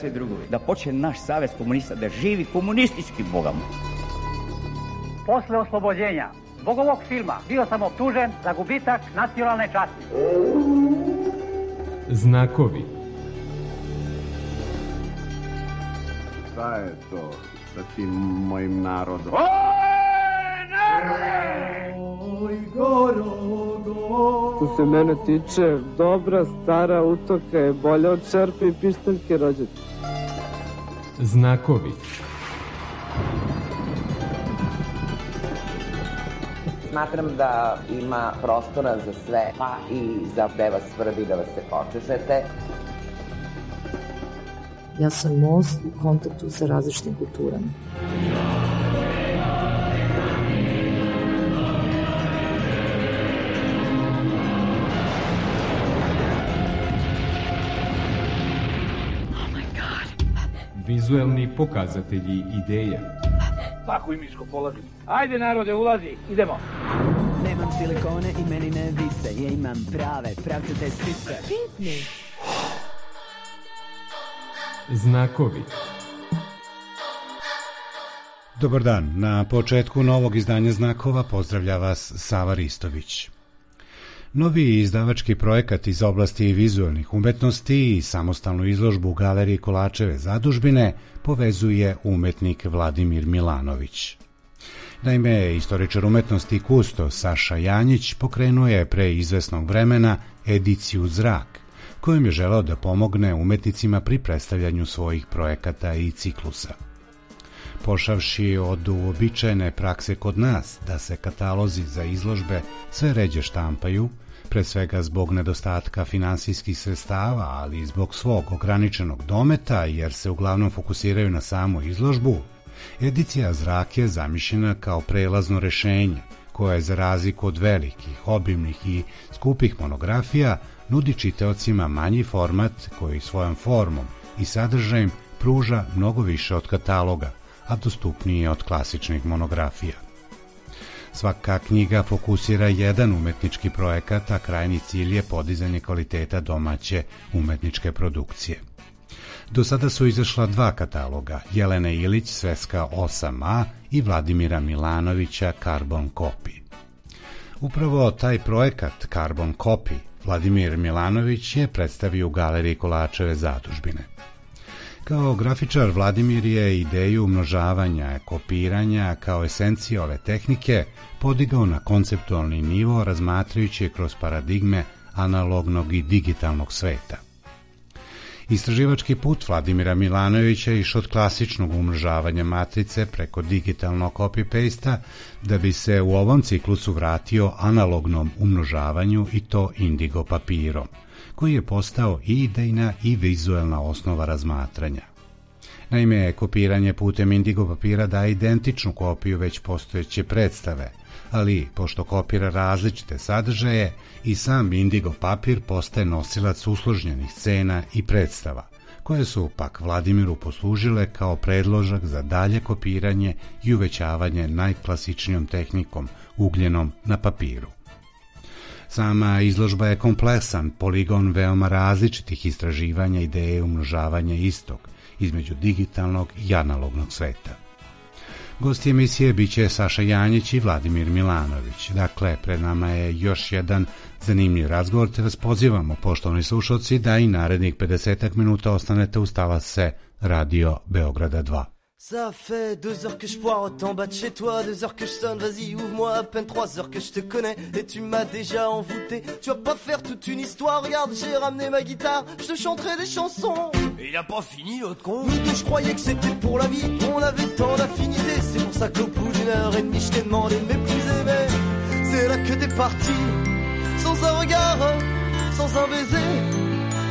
Sve drugovi, da počne naš savez komunista da živi komunistički bogom. Posle oslobođenja zbog ovog filma bio sam optužen za gubitak nacionalne časti. Znakovi. Šta je to sa tim mojim narodom? Oj, narode! Oj, što se mene tiče, dobra stara utoka je bolja od šerpe i pištaljke rođaka. Znakovi. Smatram da ima prostora za sve, pa i za gde vas svrbi da vas se počešete. Ja sam most u kontaktu sa različitim kulturama. Vizuelni pokazatelji ideja. Paku i miško položim. Ajde narode, ulazi, idemo. Nemam silikone i meni ne vise, ja imam prave, pravcate sise. Pitni. Znakovi. Dobar dan, na početku novog izdanja Znakova pozdravlja vas Sava Ristović. Novi izdavački projekat iz oblasti vizualnih umetnosti i samostalnu izložbu u Galeriji Kolačeve zadužbine povezuje umetnik Vladimir Milanović. Naime, istoričar umetnosti i kusto Saša Janjić pokrenuo je pre izvesnog vremena ediciju Zrak, kojom je želeo da pomogne umetnicima pri predstavljanju svojih projekata i ciklusa. Pošavši od uobičajene prakse kod nas da se katalozi za izložbe sve ređe štampaju, pre svega zbog nedostatka finansijskih sredstava, ali i zbog svog ograničenog dometa, jer se uglavnom fokusiraju na samu izložbu, edicija Zrak je zamišljena kao prelazno rešenje, koje za razliku od velikih, obimnih i skupih monografija nudi čitaocima manji format koji svojom formom i sadržajem pruža mnogo više od kataloga, a dostupniji je od klasičnih monografija. Svaka knjiga fokusira jedan umetnički projekat, a krajnji cilj je podizanje kvaliteta domaće umetničke produkcije. Do sada su izašla dva kataloga, Jelene Ilić Sveska 8a i Vladimira Milanovića Carbon Copy. Upravo taj projekat Carbon Copy Vladimir Milanović je predstavio u Galeriji Kolačeve zadužbine. Kao grafičar Vladimir je ideju umnožavanja, kopiranja kao esenciju ove tehnike podigao na konceptualni nivo razmatrajući je kroz paradigme analognog i digitalnog sveta. Istraživački put Vladimira Milanovića je išao od klasičnog umnožavanja matrice preko digitalnog copy-pasta da bi se u ovom ciklusu vratio analognom umnožavanju i to indigo papirom, koji je postao i idejna i vizuelna osnova razmatranja. Naime, kopiranje putem indigo papira daje identičnu kopiju već postojeće predstave, ali pošto kopira različite sadržaje, i sam indigo papir postaje nosilac usložnjenih scena i predstava, koje su pak Vladimiru poslužile kao predložak za dalje kopiranje i uvećavanje najklasičnijom tehnikom, ugljenom na papiru. Sama izložba je kompleksan poligon veoma različitih istraživanja ideje umnožavanja istog između digitalnog i analognog sveta. Gosti emisije biće Saša Janjić i Vladimir Milanović. Dakle, pred nama je još jedan zanimljiv razgovor, te vas pozivamo, poštovani slušalci, da i narednih 50 minuta ostanete uz talase Radio Beograda 2. Ça fait 2 heures que je poireaute en bas de chez toi, 2 heures que je sonne, vas-y ouvre-moi, à peine 3 heures que je te connais et tu m'as déjà envoûté. Tu vas pas faire toute une histoire, regarde j'ai ramené ma guitare, je te chanterai des chansons. Et il a pas fini l'autre con. Nous deux je croyais que c'était pour la vie, on avait tant d'affinités, c'est pour ça qu'au bout d'une heure et demie je t'ai demandé de m'épouser, mais c'est là que t'es parti, sans un regard, sans un baiser.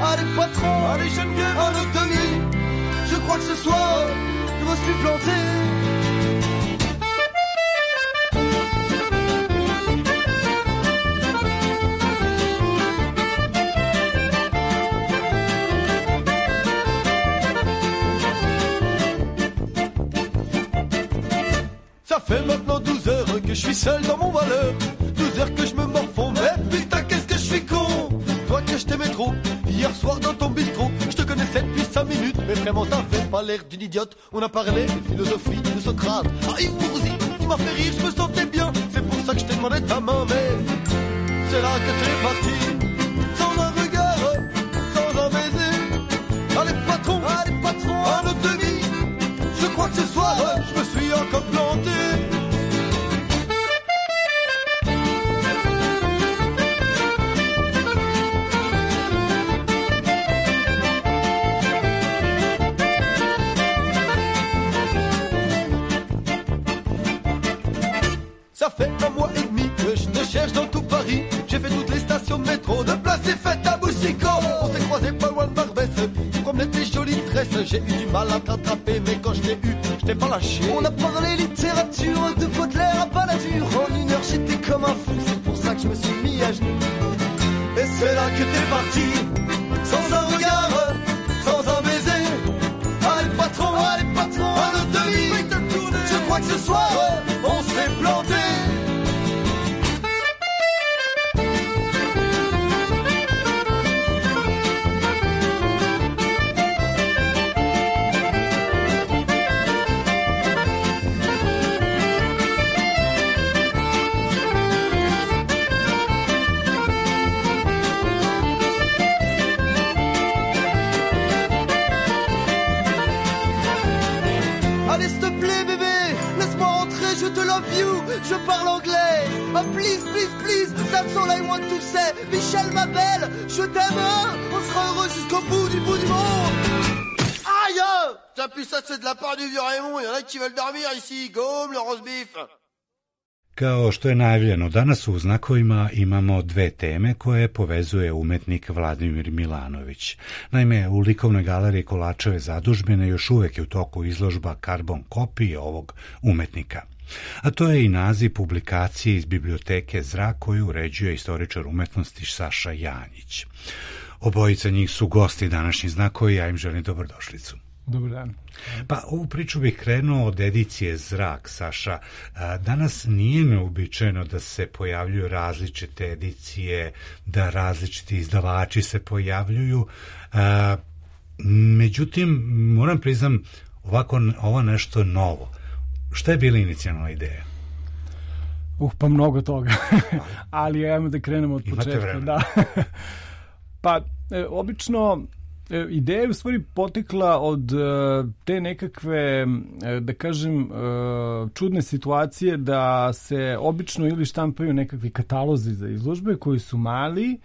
Allez patron, allez j'aime bien un autre demi, je crois que ce soir je me suis planté. Ça fait maintenant 12 heures que je suis seul dans mon malheur, 12 heures que je me morfonds, mais putain qu'est-ce que je suis con. Toi que je t'aimais trop, hier soir dans ton bistrot, je te connaissais depuis 5 minutes. Mais vraiment t'avais pas l'air d'une idiote. On a parlé de philosophie de Socrate. Ah Yves Mourouzi, tu m'as fait rire, je me sentais bien. C'est pour ça que je t'ai demandé ta main. Mais c'est là que t'es parti. Sans un regard, sans un baiser. Allez patron, à notre demi. Je crois que ce soir, je me suis encore planté. Ça fait un mois et demi que je te cherche dans tout Paris. J'ai fait toutes les stations de métro, de place et fête à Boussico. On s'est croisés pas loin de Barbès. Tu promenais tes jolies tresses. J'ai eu du mal à t'attraper, mais quand je t'ai eu, je t'ai pas lâché. On a parlé littérature, de Baudelaire à Balladur. En une heure j'étais comme un fou, c'est pour ça que je me suis mis à genoux. Et c'est là que t'es parti, sans un regard, sans un baiser. Allez patron, à notre demi. Je crois que ce soir, on s'est planté. Allez, s'il te plaît, bébé, laisse-moi rentrer, je te love you, je parle anglais. Oh, please, please, please, that's all I want to say. Michel, ma belle, je t'aime, hein. On sera heureux jusqu'au bout du monde. Aïe! T'as plus ça, c'est de la part du vieux Raymond, y'en a qui veulent dormir ici, comme le roast beef. Kao što je najavljeno, danas u Znakovima imamo dve teme koje povezuje umetnik Vladimir Milanović. Naime, u likovnoj galeriji Kolačeve zadužbine još uvek je u toku izložba karbon kopije ovog umetnika. A to je i naziv publikacije iz biblioteke Zrak koju uređuje istoričar umetnosti Saša Janjić. Obojica njih su gosti današnjih Znakovi, ja im želim dobrodošlicu. Dobar dan. Pa ovu priču bih krenuo od edicije Zrak, Saša. Danas nije neobičajeno da se pojavljuju različite edicije, da različiti izdavači se pojavljuju. Međutim, moram priznam, ovo nešto novo. Šta je bila inicijalna ideja? Pa mnogo toga. Ali ajmo da krenemo od početka. Imate vremena. Da. Pa, obično ideja je u stvari potekla od te nekakve, da kažem, čudne situacije da se obično ili štampaju nekakvi katalozi za izložbe koji su mali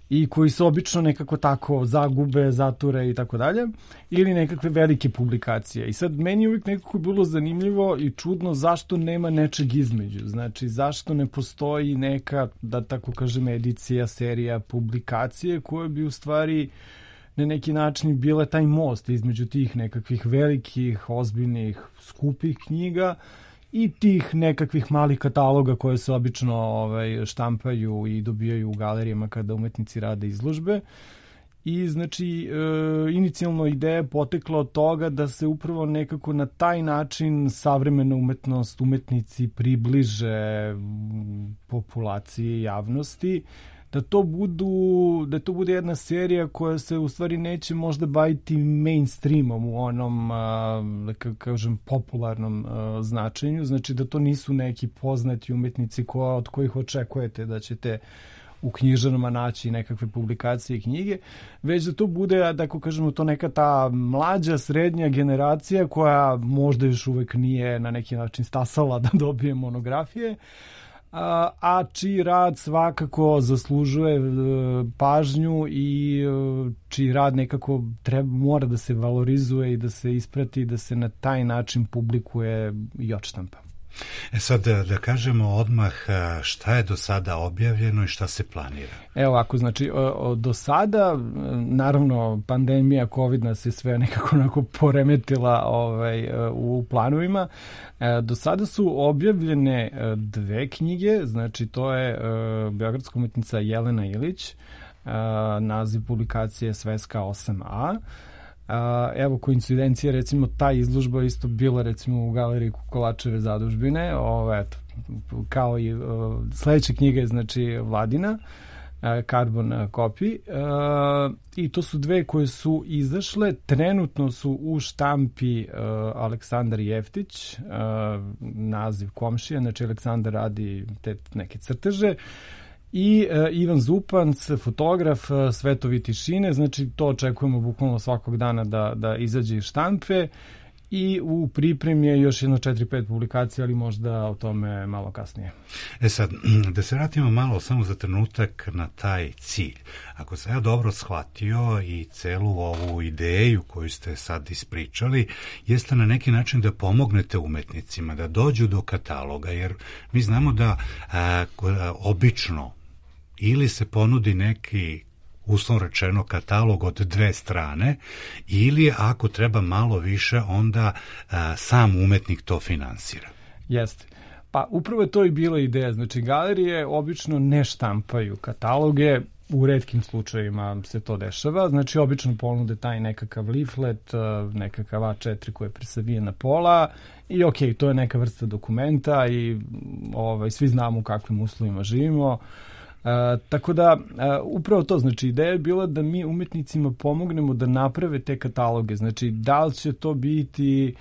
i koji se obično nekako tako zagube, zature i tako dalje, ili nekakve velike publikacije. I sad meni je uvijek nekako bilo zanimljivo i čudno zašto nema nečeg između. Znači, zašto ne postoji neka, da tako kažem, edicija, serija, publikacije koje bi u stvari na neki način bile taj most između tih nekakvih velikih, ozbiljnih, skupih knjiga i tih nekakvih malih kataloga koje se obično štampaju i dobijaju u galerijama kada umetnici rade izložbe. I znači, inicijalno ideja potekla od toga da se upravo nekako na taj način savremena umetnost, umetnici približe populaciji, javnosti, da to bude jedna serija koja se u stvari neće možda baviti mainstreamom u onom, da kažem, popularnom značenju. Znači da to nisu neki poznati umetnici od kojih očekujete da ćete u knjižarama naći nekakve publikacije i knjige, već da to bude, da kažemo, to neka ta mlađa, srednja generacija koja možda još uvek nije na neki način stasala da dobije monografije, a čiji rad svakako zaslužuje pažnju i čiji rad nekako mora da se valorizuje i da se isprati, da se na taj način publikuje i odštampa. Sad da kažemo odmah šta je do sada objavljeno i šta se planira. Evo ovako, znači do sada, naravno pandemija COVID nas je sve nekako onako poremetila u planovima. Do sada su objavljene dve knjige, znači to je beogradska umetnica Jelena Ilić, naziv publikacije Sveska 8a. Evo, koincidencija, recimo ta izložba isto bila recimo u galeriji Kolačeve zadužbine, kao i sledeća knjiga je znači Vladina, Carbon Copy, i to su dve koje su izašle. Trenutno su u štampi Aleksandar Jeftić, naziv komšija, znači Aleksandar radi te neke crteže, i Ivan Zupanc, fotograf, Svetovi tišine, znači to očekujemo bukvalno svakog dana da izađe iz štampe, i u pripremi je još jedno 4-5 publikacija, ali možda o tome malo kasnije. Sad, da se vratimo malo samo za trenutak na taj cilj. Ako sam ja dobro shvatio i celu ovu ideju koju ste sad ispričali, jeste na neki način da pomognete umetnicima da dođu do kataloga, jer mi znamo da obično ili se ponudi neki, uslovno rečeno, katalog od 2 strane, ili ako treba malo više, onda sam umetnik to finansira. Jeste. Pa upravo je to i bila ideja. Znači, galerije obično ne štampaju kataloge, u retkim slučajevima se to dešava. Znači, obično ponude taj nekakav leaflet, nekakav A4 koji je presavijen na pola, i to je neka vrsta dokumenta i svi znamo u kakvim uslovima živimo. Tako da, upravo to, znači ideja je bila da mi umetnicima pomognemo da naprave te kataloge, znači da li će to biti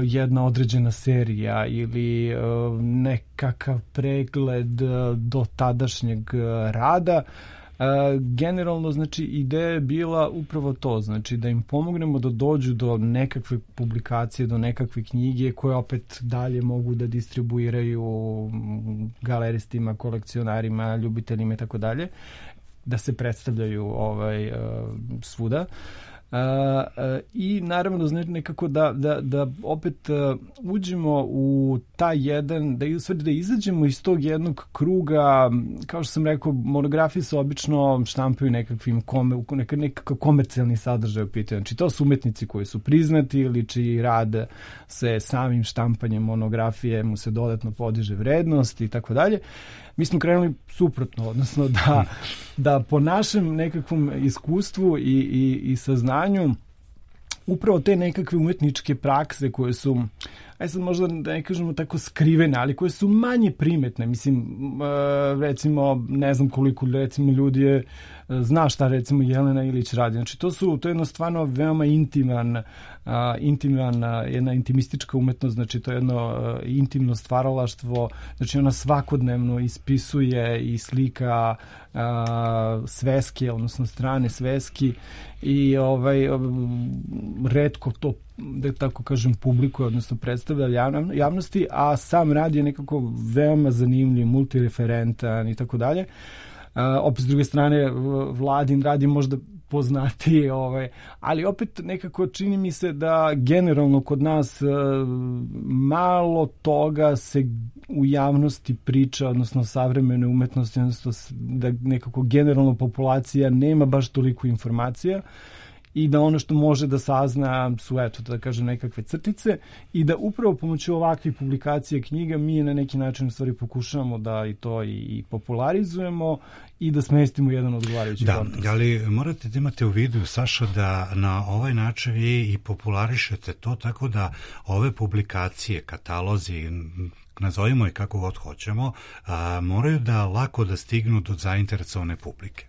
jedna određena serija ili nekakav pregled do tadašnjeg rada. Generalno, znači, ideja je bila upravo to, znači da im pomognemo da dođu do nekakve publikacije, do nekakve knjige koje opet dalje mogu da distribuiraju galeristima, kolekcionarima, ljubiteljima i tako dalje, da se predstavljaju svuda. I naravno nekako da opet uđemo u taj jedan, da izađemo iz tog jednog kruga. Kao što sam rekao, monografije se obično štampaju nekakav komercijalni sadržaj u pitanju. Znači to su umetnici koji su priznati ili čiji rad se samim štampanjem monografije mu se dodatno podiže vrednost i tako dalje. Mi smo krenuli suprotno, odnosno da po našem nekakvom iskustvu i saznanju upravo te nekakve umetničke prakse koje su, sad možda da ne kažemo tako skrivene, ali koje su manje primetne. Mislim, recimo, ne znam koliko recimo ljudi zna šta recimo Jelena Ilić radi. Znači to je jedno stvarno veoma jedna intimistička umetnost, znači to je jedno intimno stvaralaštvo, znači ona svakodnevno ispisuje i slika sveske, odnosno strane sveski, i retko to, da tako kažem, publikuje, odnosno predstavlja javnosti, a sam rad je nekako veoma zanimljiv, multireferentan i tako dalje. Opet s druge strane, Vladin rad je možda poznatiji, ali opet nekako čini mi se da generalno kod nas malo toga se u javnosti priča, odnosno savremene umetnosti, odnosno da nekako generalno populacija nema baš toliko informacija, i da ono što može da sazna su, da kažem, nekakve crtice, i da upravo pomoću ovakvih publikacija knjiga mi na neki način u stvari pokušavamo da i to i popularizujemo i da smestimo jedan odgovarajući kontekst. Da, ali morate da imate u vidu, Saša, da na ovaj način vi i popularišete to, tako da ove publikacije, katalozi, nazovimo je kako god hoćemo, moraju da lako da stignu do zainteresovane publike.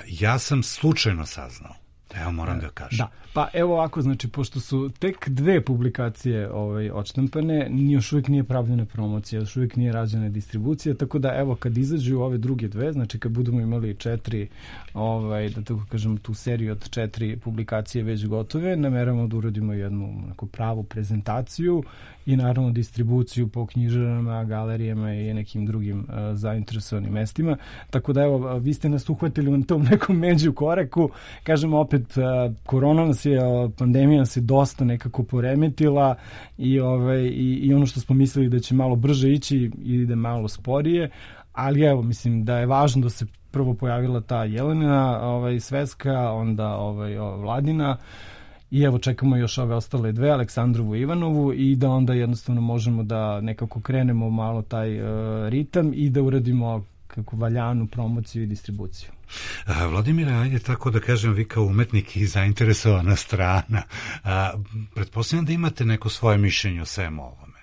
Ja sam slučajno saznao, evo moram da kažem. Da, pa evo ovako, znači, pošto su tek 2 publikacije odštampane, još uvijek nije pravljena promocija, još uvijek nije rađena distribucija, tako da evo kad izađu ove druge 2, znači kad budemo imali 4, da tako kažem, tu seriju od 4 publikacije već gotove, nameravamo da uradimo jednu pravu prezentaciju i naravno distribuciju po knjižarama, galerijama i nekim drugim zainteresovanim mestima. Tako da evo, vi ste nas uhvatili na tom nekom među koraku. Kažemo opet, korona nas je, pandemija nas je dosta nekako poremetila i ono što smo mislili da će malo brže ići ide malo sporije, ali evo, mislim da je važno da se prvo pojavila ta Jelena sveska, onda Vladina, i evo čekamo još ove ostale 2, Aleksandrovu i Ivanovu, i da onda jednostavno možemo da nekako krenemo malo taj ritam i da uradimo kako valjanu promociju i distribuciju. Vladimire, ajde tako da kažem, vi kao umetnik i zainteresovana strana, pretpostavljam da imate neko svoje mišljenje o svemu ovome.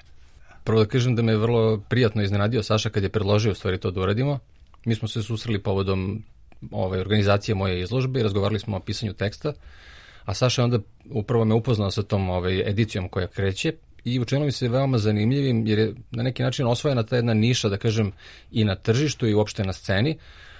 Prvo da kažem da me je vrlo prijatno iznenadio Saša kad je predložio u stvari to da uradimo, mi smo se susreli povodom organizacije moje izložbe i razgovarali smo o pisanju teksta, a Saša onda upravo me upoznao sa tom edicijom koja kreće i učinilo mi se veoma zanimljivim jer je na neki način osvojena ta jedna niša, da kažem, i na tržištu i uopšte na sceni,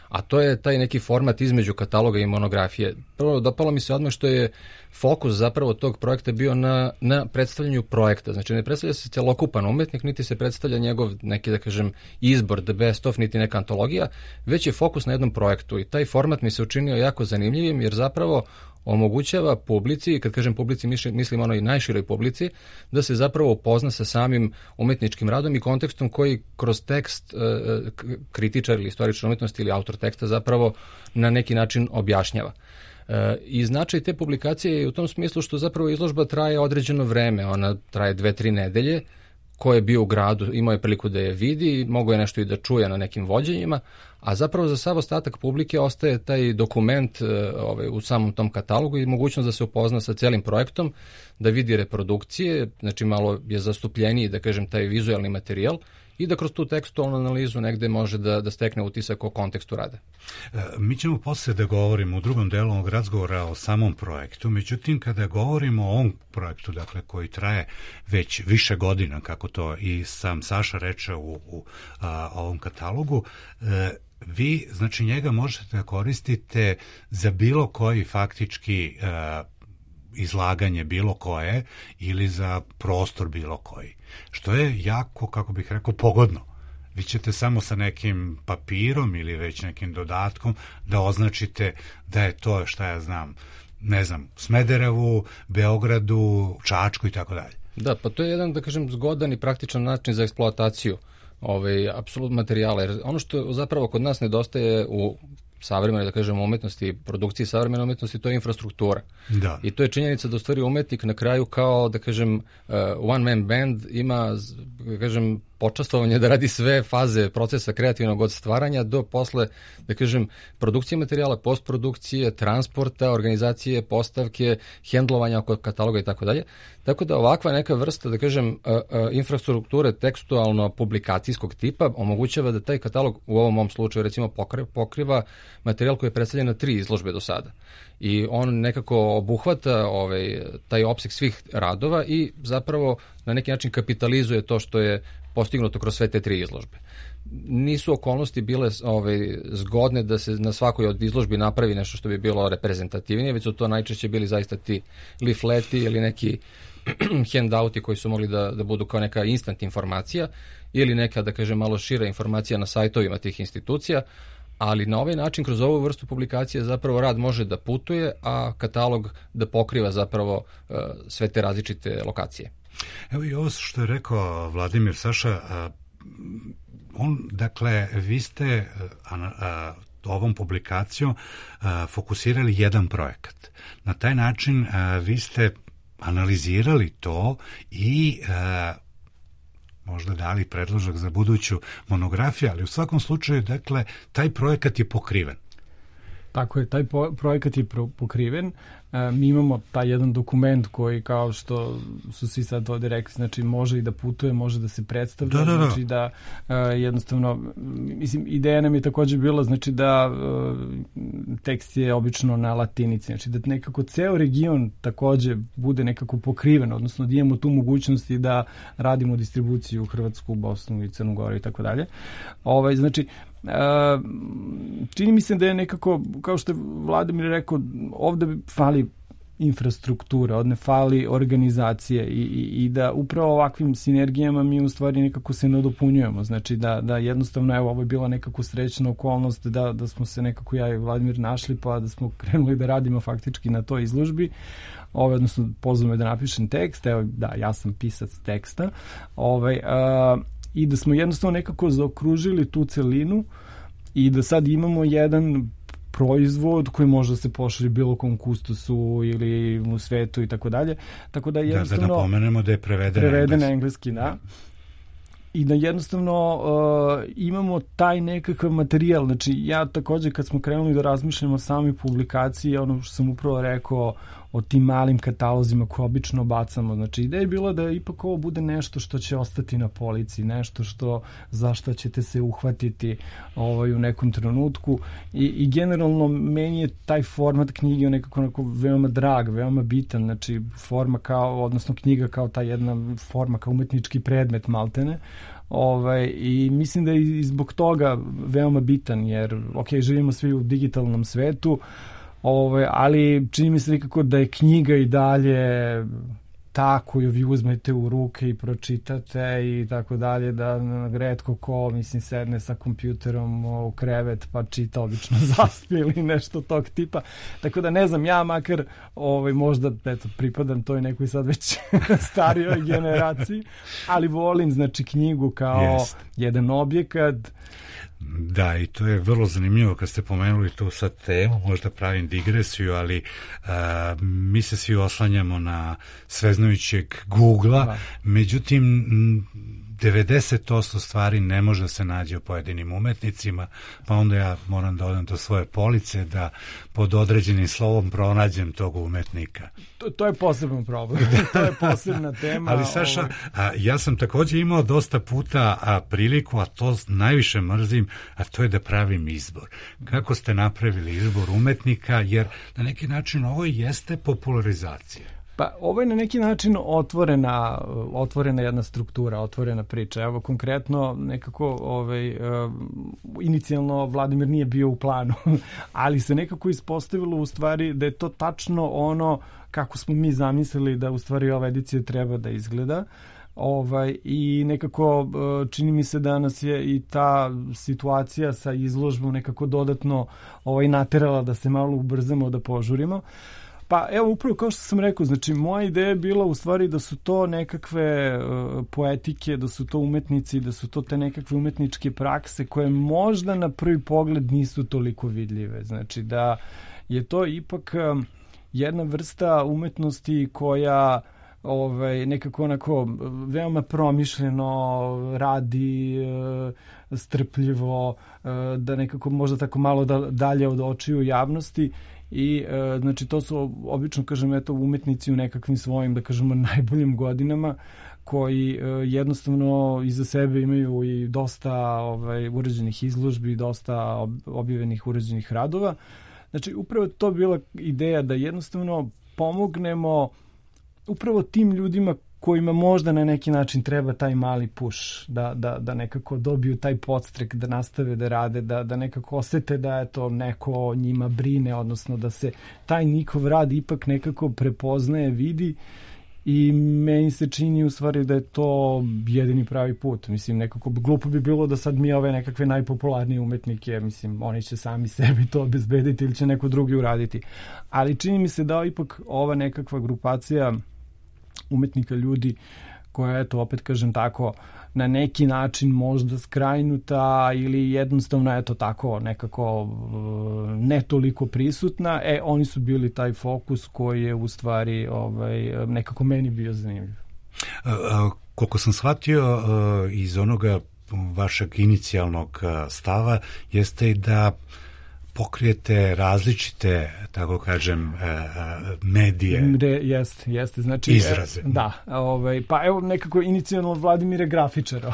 a to je taj neki format između kataloga i monografije. Prvo, dopalo mi se odmah što je fokus zapravo tog projekta bio na predstavljanju projekta. Znači, ne predstavlja se celokupan umetnik, niti se predstavlja njegov neki, da kažem, izbor, the best of, niti neka antologija, već je fokus na jednom projektu i taj format mi se učinio jako zanimljivim jer zapravo omogućava publici, kad kažem publici mislim onoj najširoj publici, da se zapravo upozna sa samim umetničkim radom i kontekstom koji kroz tekst kritičar ili istoričar umetnosti ili autor teksta zapravo na neki način objašnjava. I značaj te publikacije je u tom smislu što zapravo izložba traje određeno vreme, ona traje 2-3 nedelje, ko je bio u gradu, imao je priliku da je vidi, mogao je nešto i da čuje na nekim vođenjima, a zapravo za sav ostatak publike ostaje taj dokument u samom tom katalogu i mogućnost da se upozna sa celim projektom, da vidi reprodukcije, znači malo je zastupljeniji, da kažem, taj vizualni materijal i da kroz tu tekstualnu analizu negde može da stekne utisak o kontekstu rada. Mi ćemo posle da govorimo u drugom delu ovog razgovora o samom projektu, međutim kada govorimo o ovom projektu, dakle koji traje već više godina, kako to i sam Saša reče u ovom katalogu, vi, znači njega možete da koristite za bilo koji faktički izlaganje bilo koje ili za prostor bilo koji. Što je jako, kako bih rekao, pogodno. Vi ćete samo sa nekim papirom ili već nekim dodatkom da označite da je to, šta ja znam, ne znam, Smederevu, Beogradu, Čačku i tako dalje. Da, pa to je jedan, da kažem, zgodan i praktičan način za eksploataciju apsolutno materijala. Jer ono što zapravo kod nas nedostaje u savremene, da kažemo, umetnosti i produkciji savremene umetnosti, to je infrastruktura. Da. I to je činjenica da u stvari umetnik na kraju kao, da kažem, one man band ima, da kažem, počastvovanje da radi sve faze procesa kreativnog od stvaranja do posle, da kažem, produkcije materijala, postprodukcije, transporta, organizacije, postavke, hendlovanja oko kataloga i tako dalje. Tako da ovakva neka vrsta, da kažem, infrastrukture tekstualno-publikacijskog tipa omogućava da taj katalog u ovom mom slučaju recimo pokriva materijal koji je predstavljen na 3 izložbe do sada. I on nekako obuhvata taj opseg svih radova i zapravo na neki način kapitalizuje to što je postignuto kroz sve te 3 izložbe. Nisu okolnosti bile zgodne da se na svakoj od izložbi napravi nešto što bi bilo reprezentativnije, već su to najčešće bili zaista ti leafleti ili neki handouti koji su mogli da budu kao neka instant informacija ili neka, da kažem, malo šira informacija na sajtovima tih institucija, ali na ovaj način, kroz ovu vrstu publikacije, zapravo rad može da putuje, a katalog da pokriva zapravo sve te različite lokacije. Evo i ovo što je rekao Vladimir, Saša, dakle, vi ste ovom publikacijom fokusirali jedan projekat. Na taj način vi ste analizirali to i možda dali predložak za buduću monografiju, ali u svakom slučaju, dakle, taj projekat je pokriven. Tako je, taj projekat je pokriven. Mi imamo taj jedan dokument koji, kao što su svi sad ovdje rekli, znači može i da putuje, može da se predstavlja, znači da jednostavno, mislim, ideja nam je također bila, znači da tekst je obično na latinici, znači da nekako ceo region također bude nekako pokriven, odnosno da imamo tu mogućnosti da radimo distribuciju u Hrvatsku, Bosnu i Crnu Goru i tako dalje. Znači, čini mi se da je nekako, kao što je Vladimir rekao, ovdje fali infrastruktura, ovdje fali organizacije i da upravo ovakvim sinergijama mi u stvari nekako se nadopunjujemo, znači da jednostavno, evo, ovo je bila nekako srećna okolnost da smo se nekako ja i Vladimir našli, pa da smo krenuli da radimo faktički na toj izložbi, odnosno pozvao me da napišem tekst, evo, da, ja sam pisac teksta, i da smo jednostavno nekako zaokružili tu celinu i da sad imamo jedan proizvod koji može da se pošalje bilo kom kustosu ili u svetu i tako dalje. Tako da jednostavno... Da napomenemo da je preveden na engleski, da. I da jednostavno imamo taj nekakav materijal. Znači, ja također kad smo krenuli da razmišljamo o samoj publikaciji, ono što sam upravo rekao, o tim malim katalozima koje obično bacamo. Znači, ideja je bila da ipak ovo bude nešto što će ostati na polici, nešto za što ćete se uhvatiti u nekom trenutku i generalno meni je taj format knjige nekako veoma drag, veoma bitan, znači forma odnosno knjiga kao ta jedna forma, kao umetnički predmet maltene. I mislim da je i zbog toga veoma bitan, jer živimo svi u digitalnom svetu, ali čini mi se nekako da je knjiga i dalje ta koju vi uzmete u ruke i pročitate i tako dalje, da retko ko, sedne sa kompjuterom u krevet pa čita, obično zaspi ili nešto tog tipa. Tako da ne znam, ja makar možda pripadam toj nekoj sad već starijoj generaciji, ali volim znači knjigu kao jedan objekat. Da, i to je vrlo zanimljivo kad ste pomenuli tu sad temu, možda pravim digresiju, ali mi se svi oslanjamo na sveznajućeg Google-a, međutim 90% stvari ne može da se nađe o pojedinim umetnicima, pa onda ja moram da odem do svoje police da pod određenim slovom pronađem tog umetnika. To je poseban problem, to je posebna tema. Ali Saša, ja sam također imao dosta puta priliku, a to najviše mrzim, a to je da pravim izbor. Kako ste napravili izbor umetnika, jer na neki način ovo jeste popularizacija. Pa ovo je na neki način otvorena jedna struktura, otvorena priča. Evo konkretno nekako inicijalno Vladimir nije bio u planu, ali se nekako ispostavilo u stvari da je to tačno ono kako smo mi zamislili da u stvari ova edicija treba da izgleda. I nekako čini mi se da nas je i ta situacija sa izložbom nekako dodatno naterala da se malo ubrzamo, da požurimo. Pa evo, upravo kao što sam rekao, znači moja ideja je bila u stvari da su to nekakve poetike, da su to umetnici, da su to te nekakve umetničke prakse koje možda na prvi pogled nisu toliko vidljive. Znači da je to ipak jedna vrsta umetnosti koja nekako onako veoma promišljeno radi, strpljivo, da nekako možda tako malo dalje od očiju javnosti. I znači to su obično, kažem, umetnici u nekakvim svojim, da kažemo, najboljim godinama, koji jednostavno iza sebe imaju i dosta uređenih izložbi, dosta objavljenih uređenih radova. Znači upravo to bila ideja da jednostavno pomognemo upravo tim ljudima kojima možda na neki način treba taj mali push, da nekako dobiju taj podstrek, da nastave da rade, da nekako osete da je to neko o njima brine, odnosno da se taj njihov rad ipak nekako prepoznaje, vidi, i meni se čini u stvari da je to jedini pravi put. Nekako glupo bi bilo da sad mi ove nekakve najpopularnije umetnike, oni će sami sebi to obezbediti ili će neko drugi uraditi. Ali čini mi se da ipak ova nekakva grupacija umetnika, ljudi koja, opet kažem tako, na neki način možda skrajnuta ili jednostavno tako nekako ne toliko prisutna, oni su bili taj fokus koji je u stvari nekako meni bio zanimljiv. Koliko sam shvatio iz onoga vašeg inicijalnog stava jeste i da pokrijete različite, tako kažem, medije. Jeste. Znači, izraze. Da, pa evo nekako inicijalno Vladimir je grafičar,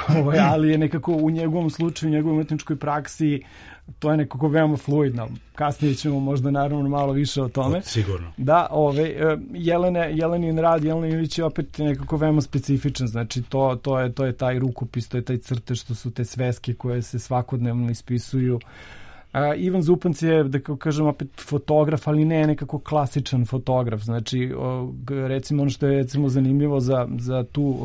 ali je nekako u njegovom slučaju, u njegovoj umetničkoj praksi, to je nekako veoma fluidno. Kasnije ćemo možda naravno malo više o tome. Sigurno. Da, Jelenin rad, Jelena Ilić je opet nekako veoma specifičan, znači to je taj rukopis, to je taj crtež, što su te sveske koje se svakodnevno ispisuju. Ivan Zupanc je, da kažem, opet fotograf, ali ne nekako klasičan fotograf. Znači, recimo, ono što je zanimljivo za tu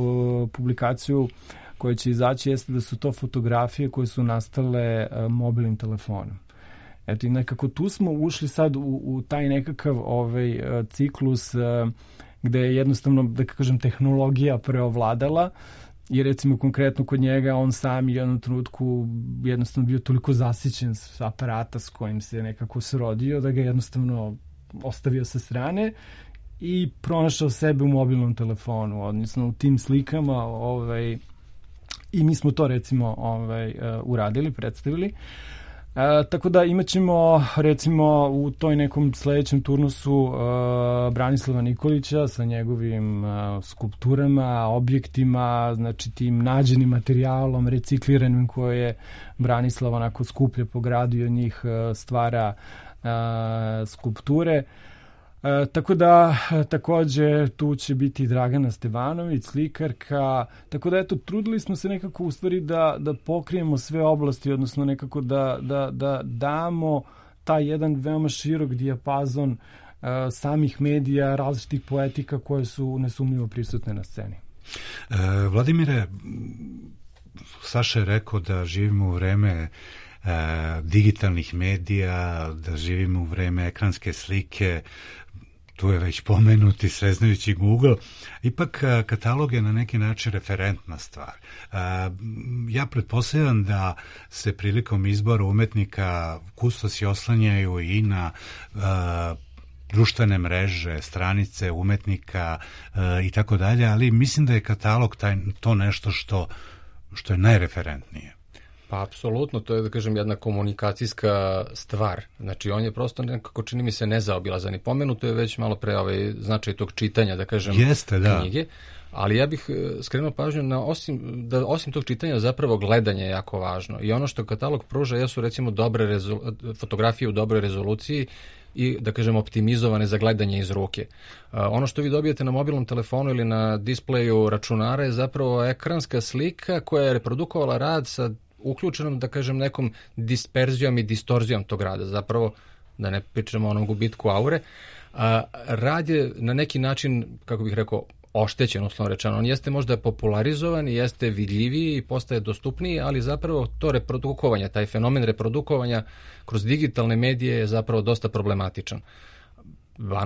publikaciju koja će izaći jeste da su to fotografije koje su nastale mobilnim telefonom. Eto, i nekako tu smo ušli sad u taj nekakav ciklus gde je jednostavno, da kažem, tehnologija preovladala. I recimo konkretno kod njega on sam je u jednom trenutku jednostavno bio toliko zasićen s aparata s kojim se nekako srodio da ga jednostavno ostavio sa strane i pronašao sebe u mobilnom telefonu, odnosno u tim slikama, i mi smo to recimo uradili, predstavili. Tako da imat ćemo recimo u toj nekom sledećem turnusu Branislava Nikolića sa njegovim skulpturama, objektima, znači tim nađenim materijalom, recikliranim koje je Branislav onako skuplje po gradu i od njih stvara skulpture. Tako da takođe tu će biti Dragana Stevanović, slikarka, tako da eto trudili smo se nekako u stvari da pokrijemo sve oblasti, odnosno nekako da damo taj jedan veoma širok dijapazon samih medija, različitih poetika koje su nesumnjivo prisutne na sceni. Vladimire, Saša je rekao da živimo u vreme digitalnih medija, da živimo u vreme ekranske slike, tu je već pomenuti sveznajući Google, ipak katalog je na neki način referentna stvar. Ja pretpostavljam da se prilikom izbora umetnika kustosi oslanjaju i na društvene mreže, stranice umetnika i tako dalje, ali mislim da je katalog to nešto što je najreferentnije. Pa apsolutno, to je da kažem jedna komunikacijska stvar. Znači on je prosto nekako čini mi se nezaobilazan i pomenuto je već malo pre značaj tog čitanja, da kažem, knjige. Ali ja bih skrenuo pažnju na osim tog čitanja zapravo gledanje je jako važno. I ono što katalog pruža jesu recimo dobre fotografije u dobroj rezoluciji i da kažem optimizovane za gledanje iz ruke. Ono što vi dobijete na mobilnom telefonu ili na displeju računara je zapravo ekranska slika koja je reprodukovala rad sa uključenom, da kažem, nekom disperzijom i distorzijom tog rada. Zapravo, da ne pričamo o onom gubitku aure, rad je na neki način, kako bih rekao, oštećen, uslovno rečeno. On jeste možda popularizovan, jeste vidljiviji i postaje dostupniji, ali zapravo to reprodukovanje, taj fenomen reprodukovanja kroz digitalne medije je zapravo dosta problematičan.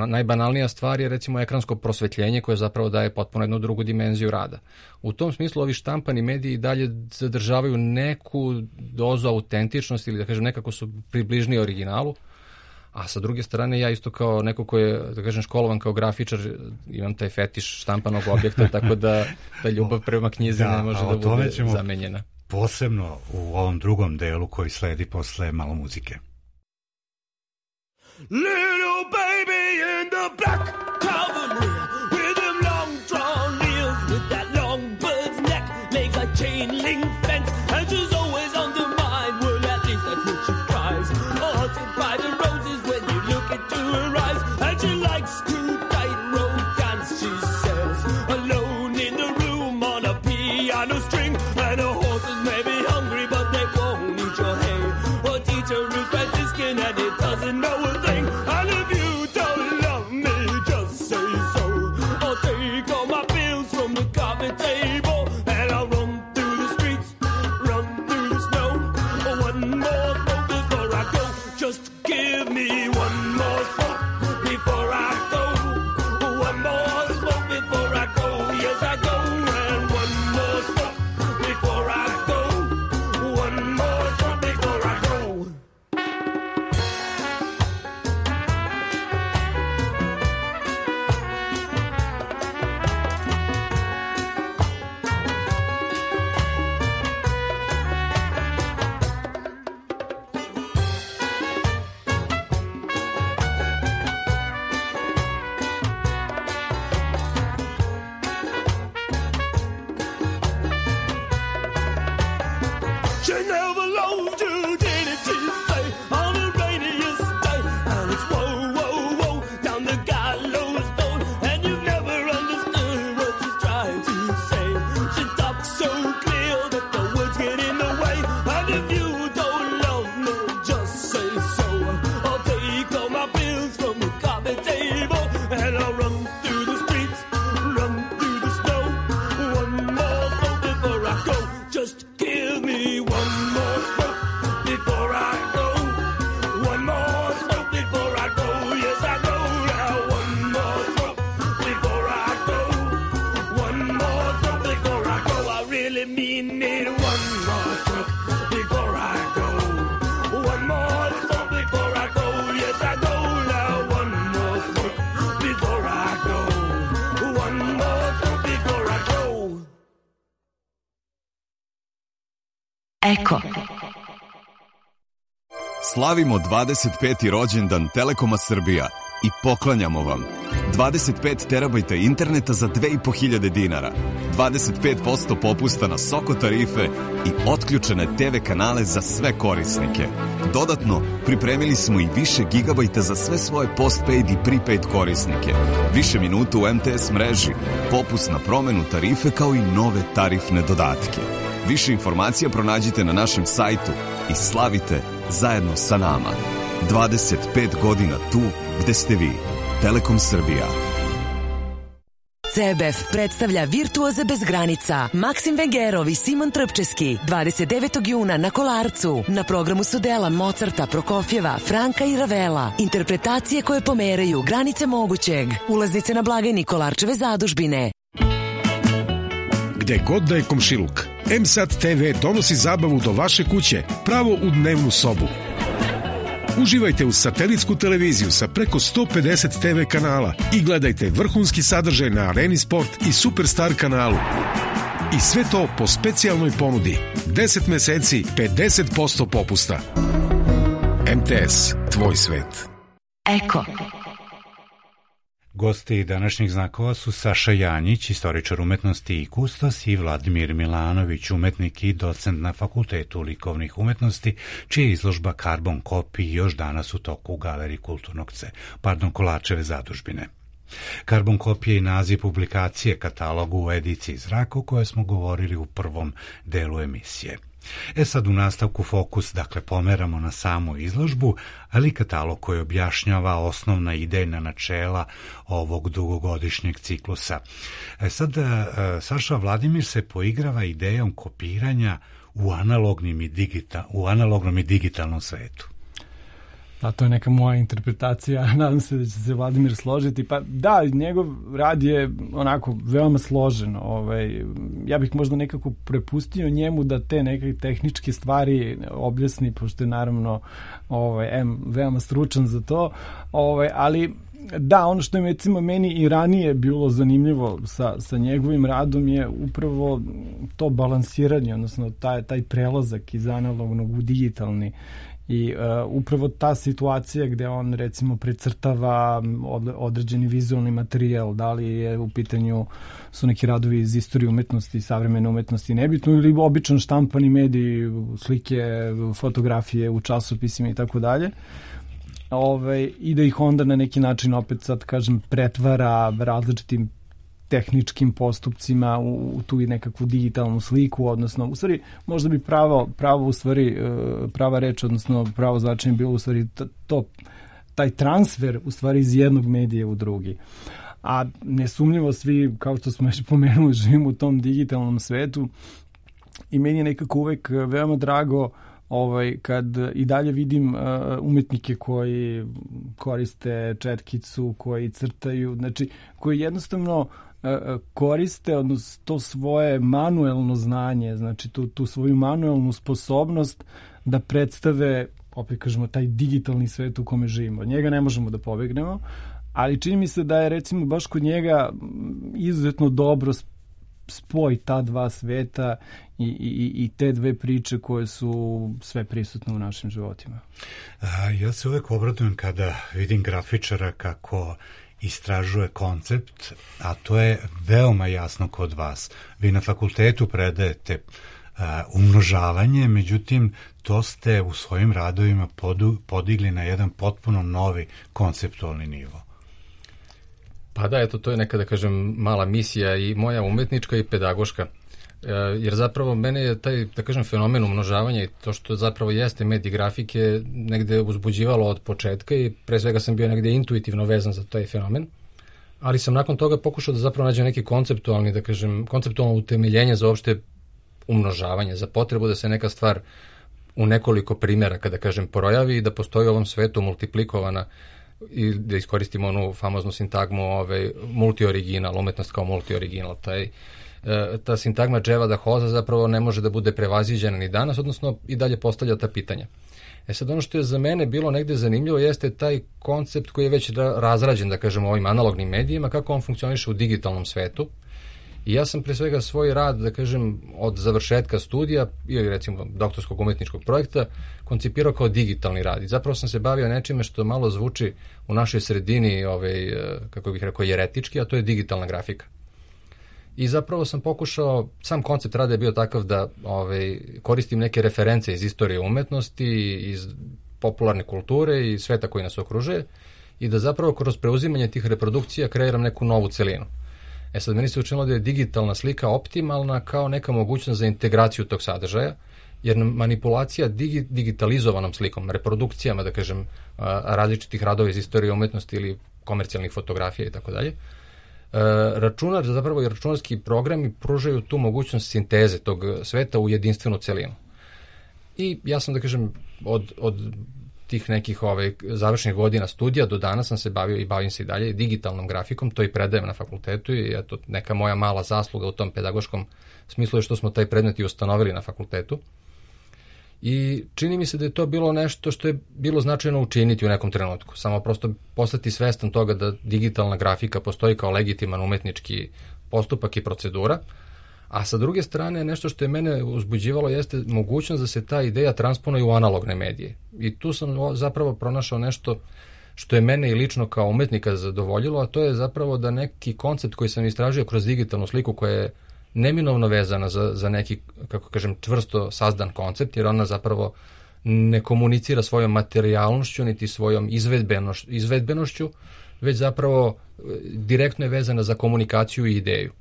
Najbanalnija stvar je recimo ekransko prosvetljenje koje zapravo daje potpuno jednu drugu dimenziju rada. U tom smislu ovi štampani mediji dalje zadržavaju neku dozu autentičnosti ili da kažem nekako su približniji originalu, a sa druge strane ja isto kao neko ko je da kažem školovan kao grafičar imam taj fetiš štampanog objekta, tako da ta ljubav prema knjizi ne može da bude zamenjena. Posebno u ovom drugom delu koji sledi posle malo muzike. Little baby in the black cavalier with them long drawn nails, with that long bird's neck, legs like chain link fence, and she's always on the mind. Well, at least that's what she cries. Haunted by the roses when you look into her eyes, and she likes to tightrope dance. She says, alone in the room on a piano string, and her horses may be hungry, but they won't eat your hay. Her teacher is Franciscan, and it doesn't know a thing. And if you don't love me, just say so. I'll take all my bills from the coffee table, and I'll run through the streets, run through the snow. One more smoke before I go. Just give me one more smoke before I go. One more smoke before I go. Yes, I go. And one more smoke before I go. One more smoke before I go. She never loved you, didn't she say, on a rainiest day? And it's whoa, whoa, whoa, down the gallows pole, and you've never understood what she's trying to say. She talks so clear that the words get in the way, and if you don't love me, just say so. I'll take all my bills from the coffee table, and I'll run through the streets, run through the snow. One more smoke before I go. Just give me one more smoke before I go. One more smoke before I go. Yes, I go now. One more smoke before I go. One more smoke before I go. I really mean it. One more smoke before I go. One more smoke before I go. Yes, I go now. One more smoke before I go. One more smoke before I go. Eko. Slavimo 25. rođendan Telekoma Srbija i poklanjamo vam 25 terabajta interneta za 2500 dinara, 25% popusta na Soko tarife i otključene TV kanale za sve korisnike. Dodatno, pripremili smo i više gigabajta za sve svoje postpaid i prepaid korisnike, više minuta u MTS mreži, popust na promenu tarife kao i nove tarifne dodatke. Više informacija pronađite na našem sajtu i slavite zajedno sa nama. 25 godina tu gde ste vi. Telekom Srbija. CBF predstavlja Virtuoze bez granica. Maksim Vengerov i Simon Trpčeski 29. juna na Kolarcu. Na programu su dela Mozarta, Prokofjeva, Franka i Ravela. Interpretacije koje pomeraju granice mogućeg. Ulaznice na blagajni Kolarčeve zadužbine. Gde god da je komšiluk, MSAT TV donosi zabavu do vaše kuće, pravo u dnevnu sobu. Uživajte uz satelitsku televiziju sa preko 150 TV kanala i gledajte vrhunski sadržaj na Areni Sport i Superstar kanalu. I sve to po specijalnoj ponudi. 10 meseci, 50% popusta. MTS, tvoj svet. Eko. Gosti današnjih znakova su Saša Janjić, istoričar umetnosti i kustos, i Vladimir Milanović, umetnik i docent na Fakultetu likovnih umetnosti, čija je izložba Karbon kopij još danas u toku u Galeriji Kolarčeve zadužbine. Karbon kopija je naziv publikacije katalogu u ediciji Zrak o kojoj smo govorili u prvom delu emisije. Sad u nastavku fokus, dakle, pomeramo na samu izložbu, ali katalog koji objašnjava osnovna idejna načela ovog dugogodišnjeg ciklusa. Sad, Saša, Vladimir se poigrava idejom kopiranja u analognom i digitalnom svetu. Da, to je neka moja interpretacija, nadam se da će se Vladimir složiti. Pa da, njegov rad je onako veoma složen. Ja bih možda nekako prepustio njemu da te neke tehničke stvari objasni, pošto je naravno veoma stručan za to, ali da, ono što je recimo meni i ranije bilo zanimljivo sa njegovim radom je upravo to balansiranje, odnosno taj prelazak iz analognog u digitalni. I upravo ta situacija gde on recimo precrtava određeni vizualni materijal, da li je u pitanju su neki radovi iz istorije umetnosti, savremene umetnosti, nebitno, ili običan štampani mediji, slike, fotografije u časopisima i tako dalje. I da ih onda na neki način opet sad kažem pretvara različitim tehničkim postupcima u tu i nekakvu digitalnu sliku, odnosno u stvari možda bi prava reč, odnosno pravo značenje bilo u stvari taj transfer u stvari iz jednog medija u drugi. A nesumnjivo svi, kao što smo već pomenuli, živimo u tom digitalnom svetu i meni je nekako uvek veoma drago kad i dalje vidim umetnike koji koriste četkicu, koji crtaju, znači koji jednostavno koriste odnosno to svoje manuelno znanje, znači tu svoju manuelnu sposobnost da predstave, opet kažemo, taj digitalni svet u kome živimo. Od njega ne možemo da pobegnemo, ali čini mi se da je recimo baš kod njega izuzetno dobro spoj ta dva sveta i te dve priče koje su sve prisutne u našim životima. Ja se uvek obradujem kada vidim grafičara kako istražuje koncept, a to je veoma jasno kod vas. Vi na fakultetu predajete umnožavanje, međutim to ste u svojim radovima podigli na jedan potpuno novi konceptualni nivo. Pa da, eto, to je neka, da kažem, mala misija i moja umetnička i pedagoška. Jer zapravo mene je taj, da kažem, fenomen umnožavanja i to što zapravo jeste medij grafike negde uzbuđivalo od početka i pre svega sam bio negde intuitivno vezan za taj fenomen, ali sam nakon toga pokušao da zapravo nađem neki konceptualni, da kažem, konceptualno utemeljenje za uopšte umnožavanje, za potrebu da se neka stvar u nekoliko primjera, kada kažem, projavi i da postoji u ovom svetu multiplikovana i da iskoristimo onu famoznu sintagmu multioriginal, umetnost kao multioriginal. Ta sintagma Dževada Hoza zapravo ne može da bude prevaziđena ni danas, odnosno i dalje postavlja ta pitanja. Sad ono što je za mene bilo negde zanimljivo jeste taj koncept koji je već razrađen, da kažem, ovim analognim medijima, kako on funkcioniše u digitalnom svetu I ja sam pre svega svoj rad, da kažem, od završetka studija ili recimo doktorskog umetničkog projekta koncipirao kao digitalni rad. I zapravo sam se bavio nečime što malo zvuči u našoj sredini, kako bih rekao, jeretički, a to je digitalna grafika. I zapravo sam pokušao, sam koncept rada je bio takav da koristim neke reference iz istorije umetnosti, iz popularne kulture i sveta koji nas okružuje i da zapravo kroz preuzimanje tih reprodukcija kreiram neku novu celinu. Sad, meni se učinilo da je digitalna slika optimalna kao neka mogućnost za integraciju tog sadržaja, jer manipulacija digitalizovanom slikom, reprodukcijama, da kažem, različitih radova iz istorije umetnosti ili komercijalnih fotografija i tako dalje, računar, zapravo i računarski programi pružaju tu mogućnost sinteze tog sveta u jedinstvenu celinu. I ja sam, da kažem, od tih nekih završnih godina studija do danas sam se bavio i bavim se i dalje digitalnom grafikom, to i predajem na fakultetu i eto, neka moja mala zasluga u tom pedagoškom smislu je što smo taj predmet i ustanovili na fakultetu. I čini mi se da je to bilo nešto što je bilo značajno učiniti u nekom trenutku. Samo prosto postati svestan toga da digitalna grafika postoji kao legitiman umetnički postupak i procedura, a sa druge strane nešto što je mene uzbuđivalo jeste mogućnost da se ta ideja transponuje u analogne medije. I tu sam zapravo pronašao nešto što je mene i lično kao umetnika zadovoljilo, a to je zapravo da neki koncept koji sam istražio kroz digitalnu sliku koja je neminovno vezana za neki, kako kažem, čvrsto sazdan koncept, jer ona zapravo ne komunicira svojom materijalnošću niti svojom izvedbenošću, već zapravo direktno je vezana za komunikaciju i ideju.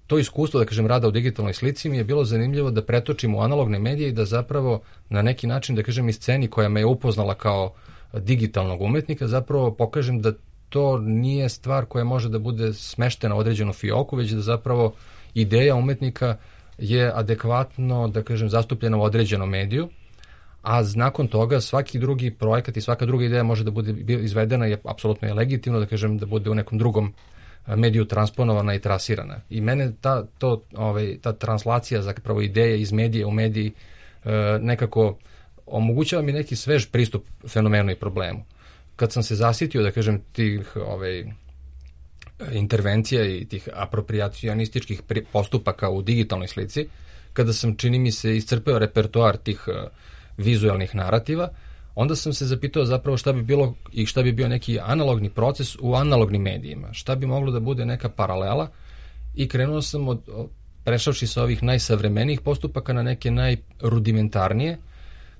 To iskustvo, da kažem, rada u digitalnoj slici mi je bilo zanimljivo da pretočim u analogne medije i da zapravo na neki način, da kažem, i sceni koja me je upoznala kao digitalnog umetnika, zapravo pokažem da to nije stvar koja može da bude smeštena u određenu fioku, već da zapravo ideja umetnika je adekvatno, da kažem, zastupljena u određenom mediju, a nakon toga svaki drugi projekat i svaka druga ideja može da bude izvedena i apsolutno je legitimno, da kažem, da bude u nekom drugom mediju transponovana i trasirana. I mene ta translacija zapravo ideje iz medije u mediji nekako omogućava mi neki svež pristup fenomenu i problemu. Kad sam se zasitio, da kažem, tih intervencija i tih apropriacionističkih postupaka u digitalnoj slici, kada sam, čini mi se, iscrpeo repertoar tih vizualnih narativa, onda sam se zapitao zapravo šta bi bilo i šta bi bio neki analogni proces u analognim medijima. Šta bi moglo da bude neka paralela i krenuo sam prešavši sa ovih najsavremenijih postupaka na neke najrudimentarnije,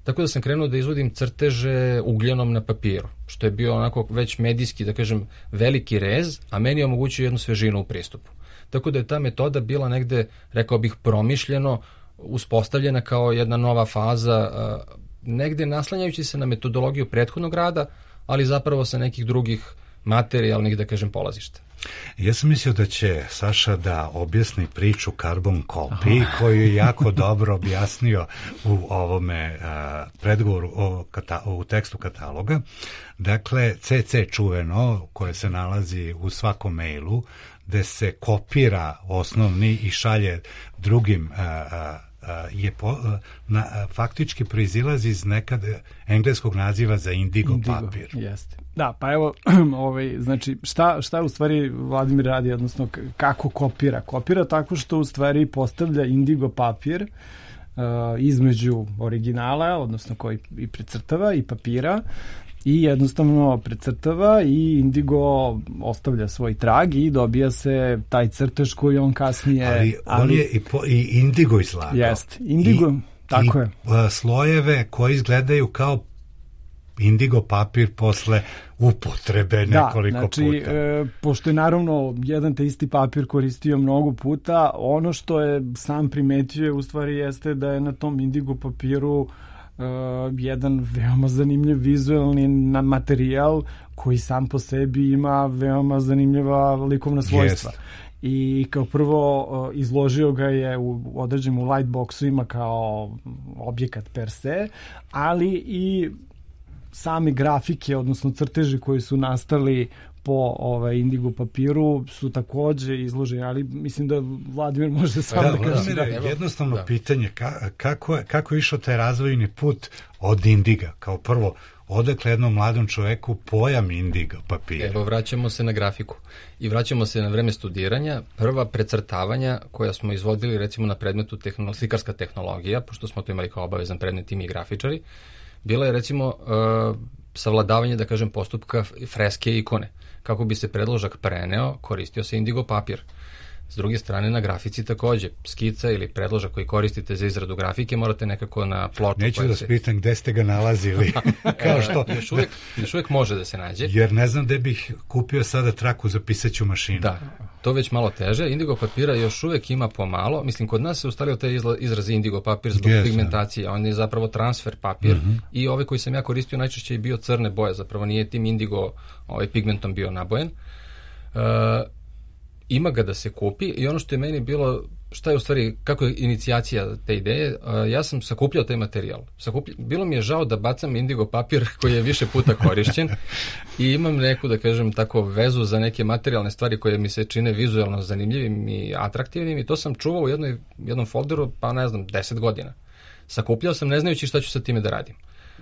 tako da sam krenuo da izvodim crteže ugljenom na papiru, što je bio onako već medijski, da kažem, veliki rez, a meni je omogućio jednu svežinu u pristupu. Tako da je ta metoda bila negde, rekao bih, promišljeno uspostavljena kao jedna nova faza, negde naslanjajući se na metodologiju prethodnog rada, ali zapravo sa nekih drugih materijalnih, da kažem, polazišta. Ja sam mislio da će Saša da objasni priču Carbon Copy, koju je jako dobro objasnio u ovome predgovoru u tekstu kataloga. Dakle, CC čuveno, koje se nalazi u svakom mailu, gde se kopira osnovni i šalje drugim faktički proizilazi iz nekad engleskog naziva za indigo papir. Jeste. Da, pa evo, znači, šta u stvari Vladimir radi, odnosno kako kopira? Kopira tako što u stvari postavlja indigo papir između originala, odnosno koji i precrtava, i papira, i jednostavno precrtava i indigo ostavlja svoj trag i dobija se taj crtež koji on kasnije... Ali on je i indigo izlagao. Jeste, indigo, tako je. Slojeve koji izgledaju kao indigo papir posle upotrebe nekoliko puta. Pošto je naravno jedan te isti papir koristio mnogo puta, ono što je sam primetio u stvari jeste da je na tom indigo papiru jedan veoma zanimljiv vizualni materijal koji sam po sebi ima veoma zanimljiva likovna svojstva. I kao prvo izložio ga je u određenim lightboxovima kao objekat per se, ali i same grafike, odnosno crteži koji su nastali po indigo papiru su takođe izloženi, ali mislim da Vladimir može sam da kaže. Jednostavno pitanje, kako je išao taj razvojni put od indiga? Kao prvo, odakle jednom mladom čoveku pojam indigo papira? Evo, vraćamo se na grafiku i vraćamo se na vreme studiranja. Prva precrtavanja koja smo izvodili recimo na predmetu slikarska tehnologija, pošto smo to imali kao obavezan predmet i mi grafičari, bila je recimo savladavanje, da kažem, postupka freske i ikone. Kako bi se predložak preneo, koristio se indigo papir. S druge strane, na grafici takođe, skica ili predložak koji koristite za izradu grafike morate nekako na ploču. Neću da spitam gde ste ga nalazili. Kao što... još uvijek može da se nađe. Jer ne znam gde bih kupio sada traku za pisaću mašinu. Da, to već malo teže. Indigo papira još uvijek ima pomalo. Mislim, kod nas se ustalio taj izraz indigo papir zbog pigmentacije. On je zapravo transfer papir i ovaj koji sam ja koristio najčešće je bio crne boje. Zapravo nije tim indigo pigmentom bio nabojen. Ima ga da se kupi i ono što je meni bilo, šta je u stvari, kako je inicijacija te ideje, ja sam sakupljao taj materijal. Bilo mi je žao da bacam indigo papir koji je više puta korišćen i imam neku, da kažem, tako vezu za neke materijalne stvari koje mi se čine vizualno zanimljivim i atraktivnim i to sam čuvao u jednom folderu, pa ne znam, 10 godina. Sakupljao sam ne znajući šta ću sa time da radim.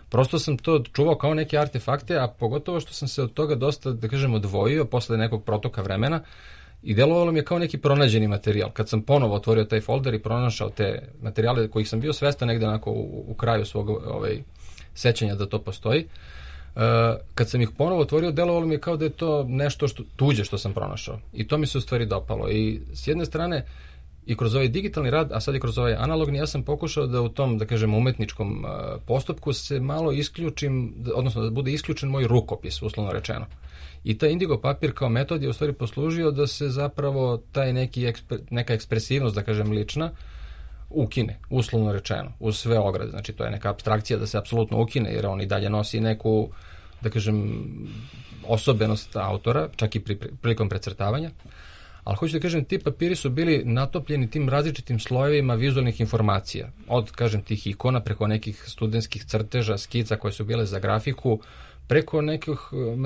Prosto sam to čuvao kao neke artefakte, a pogotovo što sam se od toga dosta, da kažem, odvojio posle nekog protoka vremena. I delovalo mi je kao neki pronađeni materijal. Kad sam ponovo otvorio taj folder i pronašao te materijale kojih sam bio svestan negde onako u kraju svog sećanja da to postoji, kad sam ih ponovo otvorio, delovalo mi je kao da je to nešto tuđe što sam pronašao. I to mi se u stvari dopalo. I s jedne strane, i kroz ovaj digitalni rad, a sad i kroz ovaj analogni, ja sam pokušao da u tom, da kažem, umetničkom postupku se malo isključim, odnosno da bude isključen moj rukopis, uslovno rečeno. I taj indigo papir kao metod je u stvari poslužio da se zapravo taj neka ekspresivnost, da kažem, lična, ukine, uslovno rečeno, uz sve ograde. Znači, to je neka apstrakcija da se apsolutno ukine, jer on i dalje nosi neku, da kažem, osobenost autora, čak i prilikom precrtavanja. Ali hoću da kažem, ti papiri su bili natopljeni tim različitim slojevima vizualnih informacija. Od, kažem, tih ikona, preko nekih studentskih crteža, skica koje su bile za grafiku, preko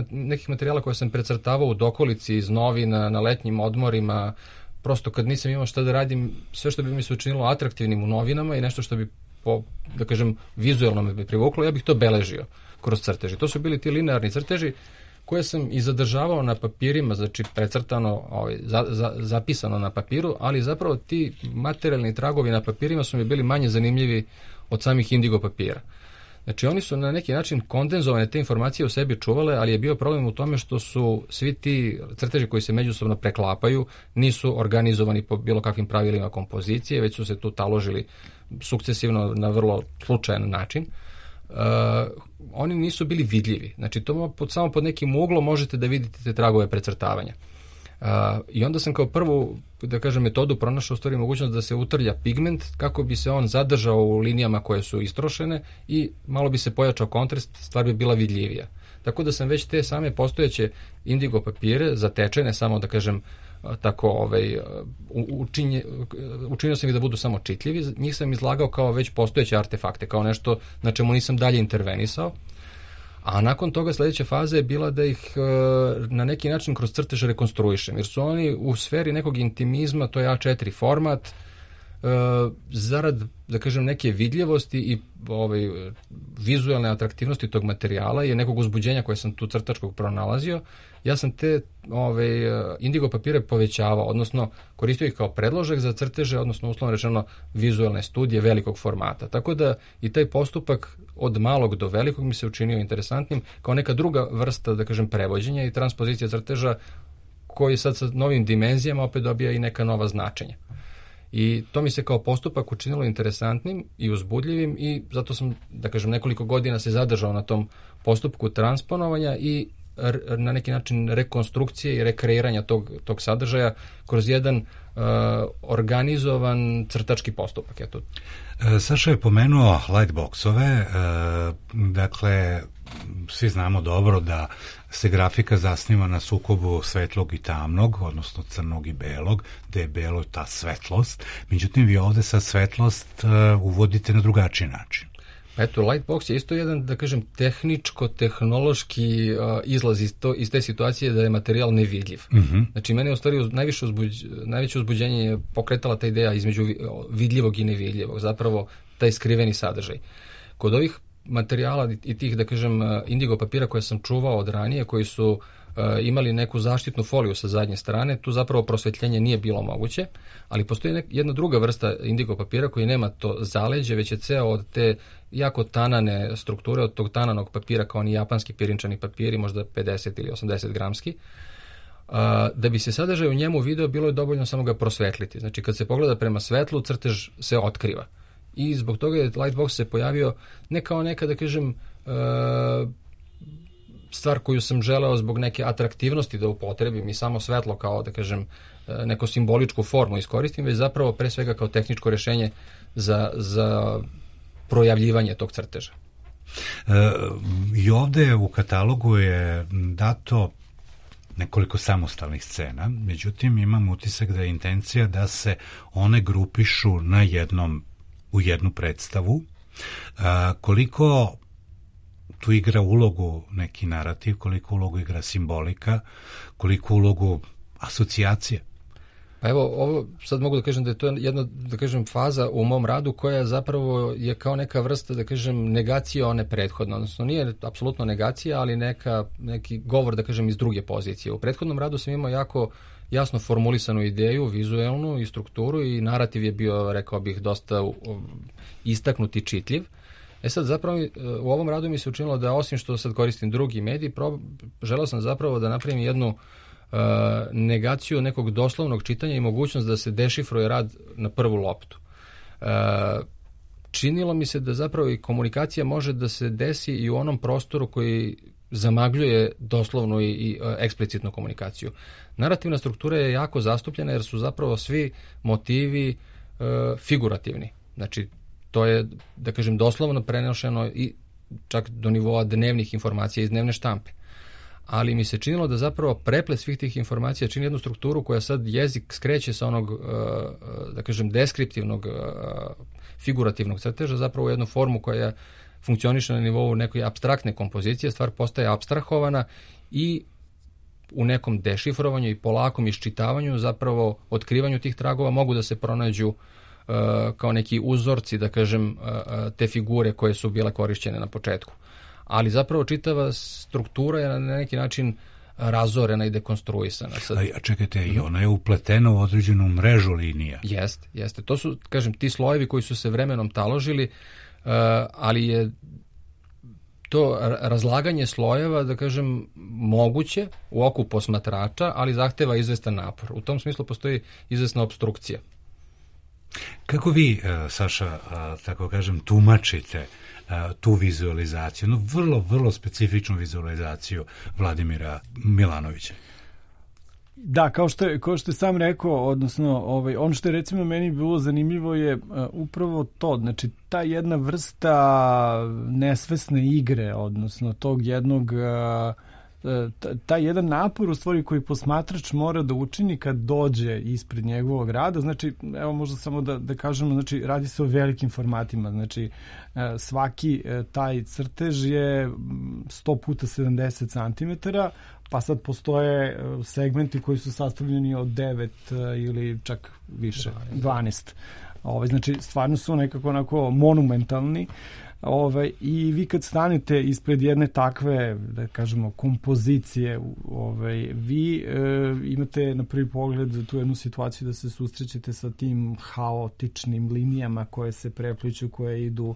nekih materijala koje sam precrtavao u dokolici iz novina, na letnjim odmorima, prosto kad nisam imao šta da radim, sve što bi mi se učinilo atraktivnim u novinama i nešto što bi, da kažem, vizualno me bi privuklo, ja bih to beležio kroz crteži. To su bili ti linearni crteži koje sam i zadržavao na papirima, znači precrtano, zapisano na papiru, ali zapravo ti materijalni tragovi na papirima su mi bili manje zanimljivi od samih indigo papira. Znači, oni su na neki način kondenzovane te informacije u sebi čuvale, ali je bio problem u tome što su svi ti crteži koji se međusobno preklapaju, nisu organizovani po bilo kakvim pravilima kompozicije, već su se tu taložili sukcesivno na vrlo slučajan način. Oni nisu bili vidljivi. Znači, to samo pod nekim uglom možete da vidite te tragove precrtavanja. I onda sam kao prvu, da kažem, metodu pronašao u stvari mogućnost da se utrlja pigment kako bi se on zadržao u linijama koje su istrošene i malo bi se pojačao kontrast, stvar bi bila vidljivija. Tako da sam već te same postojeće indigo papire zatečene, samo da kažem tako, učinio sam ih da budu samo čitljivi, njih sam izlagao kao već postojeće artefakte, kao nešto na čemu nisam dalje intervenisao. A nakon toga sledeća faza je bila da ih na neki način kroz crtež rekonstruišem, jer su oni u sferi nekog intimizma, to je A4 format, zarad, da kažem, neke vidljivosti i vizualne atraktivnosti tog materijala i nekog uzbuđenja koje sam tu crtačkog pronalazio, ja sam te indigo papire povećavao, odnosno koristio ih kao predložak za crteže, odnosno uslovno rečeno vizualne studije velikog formata. Tako da i taj postupak od malog do velikog mi se učinio interesantnim kao neka druga vrsta, da kažem, prevođenja i transpozicija crteža koji sad sa novim dimenzijama opet dobija i neka nova značenja. I to mi se kao postupak učinilo interesantnim i uzbudljivim i zato sam, da kažem, nekoliko godina se zadržao na tom postupku transponovanja i na neki način rekonstrukcije i rekreiranja tog sadržaja kroz jedan organizovan crtački postupak. Eto. Saša je pomenuo lightboxove, dakle, svi znamo dobro da se grafika zasniva na sukobu svetlog i tamnog, odnosno crnog i belog, gde je belo ta svetlost. Međutim, vi ovde sad svetlost uvodite na drugačiji način. Eto, Lightbox je isto jedan, da kažem, tehničko-tehnološki izlaz iz te situacije da je materijal nevidljiv. Znači, mene je u stvari najveće uzbuđenje je pokretala ta ideja između vidljivog i nevidljivog, zapravo taj skriveni sadržaj. Kod ovih materijala i tih, da kažem, indigo papira koje sam čuvao od ranije, koji su imali neku zaštitnu foliju sa zadnje strane, tu zapravo prosvetljenje nije bilo moguće, ali postoji jedna druga vrsta indigo papira koji nema to zaleđe, već je ceo od te jako tanane strukture, od tog tananog papira kao oni japanski pirinčani papiri, možda 50 ili 80 gramski. Da bi se sadržaj u njemu video, bilo je dovoljno samo ga prosvetliti. Znači, kad se pogleda prema svetlu, crtež se otkriva. I zbog toga je Lightbox se pojavio ne kao neka, da kažem, stvar koju sam želeo zbog neke atraktivnosti da upotrebim i samo svetlo kao, da kažem, neku simboličku formu iskoristim, već zapravo pre svega kao tehničko rešenje za projavljivanje tog crteža. I ovde u katalogu je dato nekoliko samostalnih scena, međutim imam utisak da je intencija da se one grupišu u jednu predstavu. Koliko tu igra ulogu neki narativ, koliko ulogu igra simbolika, koliko ulogu asocijacije? Pa evo, ovo sad mogu da kažem da je to jedna, da kažem, faza u mom radu koja zapravo je kao neka vrsta, da kažem, negacija one prethodne. Odnosno, nije apsolutno negacija, ali neki govor, da kažem, iz druge pozicije. U prethodnom radu sam imao jako jasno formulisanu ideju, vizuelnu i strukturu i narativ je bio, rekao bih, dosta istaknut i čitljiv. Sad zapravo u ovom radu mi se učinilo da osim što sad koristim drugi medij, želeo sam zapravo da napravim jednu negaciju nekog doslovnog čitanja i mogućnost da se dešifruje rad na prvu loptu. Činilo mi se da zapravo i komunikacija može da se desi i u onom prostoru koji zamagljuje doslovnu i eksplicitnu komunikaciju. Narativna struktura je jako zastupljena jer su zapravo svi motivi figurativni. Znači, to je, da kažem, doslovno prenošeno i čak do nivoa dnevnih informacija iz dnevne štampe. Ali mi se činilo da zapravo preplet svih tih informacija čini jednu strukturu koja sad jezik skreće sa onog, da kažem, deskriptivnog, figurativnog crteža, zapravo u jednu formu koja funkcioniše na nivou nekoj apstraktne kompozicije, stvar postaje apstrahovana i u nekom dešifrovanju i polakom iščitavanju, zapravo otkrivanju tih tragova mogu da se pronađu kao neki uzorci, da kažem, te figure koje su bile korišćene na početku. Ali zapravo čitava struktura je na neki način razorena i dekonstruisana. A čekajte, i ona je upletena u određenu mrežu linija. Jeste. To su, kažem, ti slojevi koji su se vremenom taložili, ali je to razlaganje slojeva, da kažem, moguće u oku posmatrača, ali zahteva izvestan napor. U tom smislu postoji izvesna opstrukcija. Kako vi, Saša, tako kažem, tumačite tu vizualizaciju, vrlo specifičnu vizualizaciju Vladimira Milanovića? Da, kao što je sam rekao, odnosno ono što je recimo meni bilo zanimljivo je upravo to, znači ta jedna vrsta nesvesne igre, odnosno tog jednog taj jedan napor u stvari koji posmatrač mora da učini kad dođe ispred njegovog rada. Znači, evo možda samo da kažemo, znači radi se o velikim formatima, znači svaki taj crtež je 100 puta 70 cm, pa sad postoje segmenti koji su sastavljeni od 9 ili čak više, 12. Znači, stvarno su nekako onako monumentalni. I vi kad stanete ispred jedne takve, da kažemo, kompozicije, vi imate na prvi pogled tu jednu situaciju da se susrećete sa tim haotičnim linijama koje se prepliću, koje idu